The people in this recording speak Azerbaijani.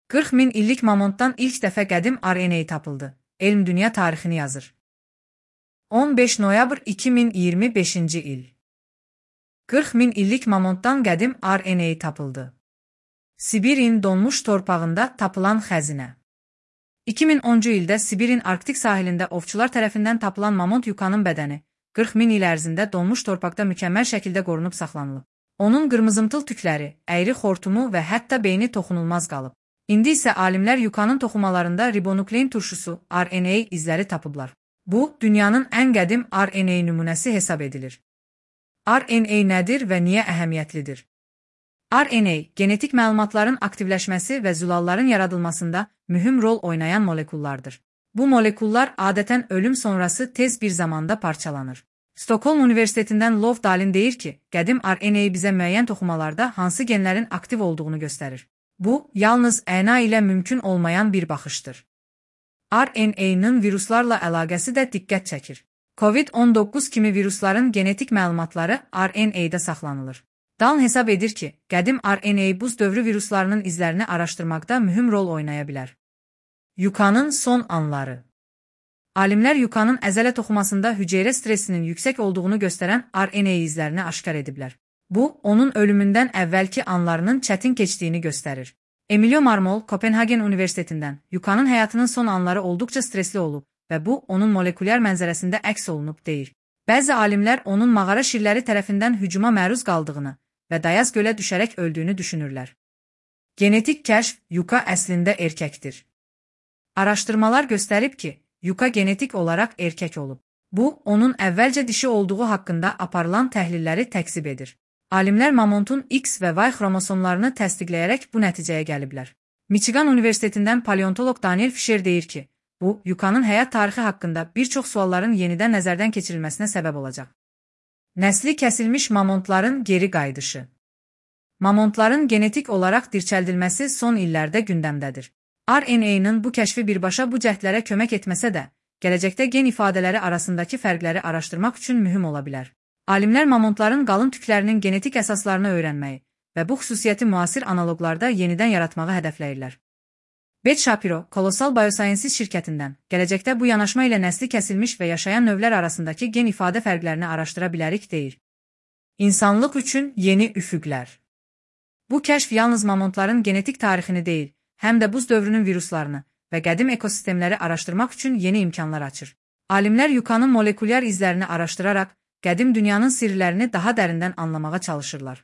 40 min illik mamontdan ilk dəfə qədim RNA tapıldı. Elm dünya tarixini yazır. 15 noyabr 2025-ci il. 40 min illik mamontdan qədim RNA tapıldı. Sibirin donmuş torpağında tapılan xəzinə. 2010-cu ildə Sibirin Arktik sahilində ovçular tərəfindən tapılan mamont yukanın bədəni 40 min il ərzində donmuş torpaqda mükəmməl şəkildə qorunub saxlanılıb. Onun qırmızımtıl tükləri, əyri xortumu və hətta beyni toxunulmaz qalıb. İndi isə alimlər yukanın toxumalarında ribonuklein turşusu, RNA izləri tapıblar. Bu, dünyanın ən qədim RNA nümunəsi hesab edilir. RNA nədir və niyə əhəmiyyətlidir? RNA, genetik məlumatların aktivləşməsi və zülalların yaradılmasında mühüm rol oynayan molekullardır. Bu molekullar adətən ölüm sonrası tez bir zamanda parçalanır. Stockholm Universitetindən Lov Dalin deyir ki, qədim RNA bizə müəyyən toxumalarda hansı genlərin aktiv olduğunu göstərir. Bu, yalnız DNA ilə mümkün olmayan bir baxışdır. RNA-nın viruslarla əlaqəsi də diqqət çəkir. COVID-19 kimi virusların genetik məlumatları RNA-da saxlanılır. Dalin hesab edir ki, qədim RNA buz dövrü viruslarının izlərini araşdırmaqda mühüm rol oynaya bilər. Yukanın son anları. Alimlər yukanın əzələ toxumasında hüceyrə stressinin yüksək olduğunu göstərən RNA izlərini aşkar ediblər. Bu, onun ölümündən əvvəlki anlarının çətin keçdiyini göstərir. Emilio Marmol, Kopenhagen Universitetindən, yukanın həyatının son anları olduqca stresli olub və bu, onun molekulyar mənzərəsində əks olunub deyir. Bəzi alimlər onun mağara şirləri tərəfindən hücuma məruz qaldığını və dayaz gölə düşərək öldüyünü düşünürlər. Genetik kəşf, yuka əslində erkəkdir. Araşdırmalar göstərib ki, yuka genetik olaraq erkək olub. Bu, onun əvvəlcə dişi olduğu haqqında aparılan təhlilləri təkzib edir. Alimlər mamontun X və Y xromosomlarını təsdiqləyərək bu nəticəyə gəliblər. Michigan Universitetindən paleontoloq Daniel Fisher deyir ki, bu, yukanın həyat tarixi haqqında bir çox sualların yenidən nəzərdən keçirilməsinə səbəb olacaq. Nəsli kəsilmiş mamontların geri qayıdışı. Mamontların genetik olaraq dirçəldilməsi son illərdə gündəmdədir. RNA-nın bu kəşfi birbaşa bu cəhdlərə kömək etməsə də, gələcəkdə gen ifadələri arasındakı fərqləri araşdırmaq üçün mühüm ola bilər. Alimlər mamontların qalın tüklərinin genetik əsaslarını öyrənməyi və bu xüsusiyyəti müasir analoqlarda yenidən yaratmağı hədəfləyirlər. Beth Shapiro, Colossal Biosciences şirkətindən, gələcəkdə bu yanaşma ilə nəsli kəsilmiş və yaşayan növlər arasındakı gen ifadə fərqlərini araşdıra bilərik deyir. İnsanlıq üçün yeni üfüqlər. Bu kəşf yalnız mamontların genetik tarixini deyil, həm də buz dövrünün viruslarını və qədim ekosistemləri araşdırmaq üçün yeni imkanlar açır. Alimlər yukanın molekulyar izlərini araşdıraraq, qədim dünyanın sirlərini daha dərindən anlamağa çalışırlar.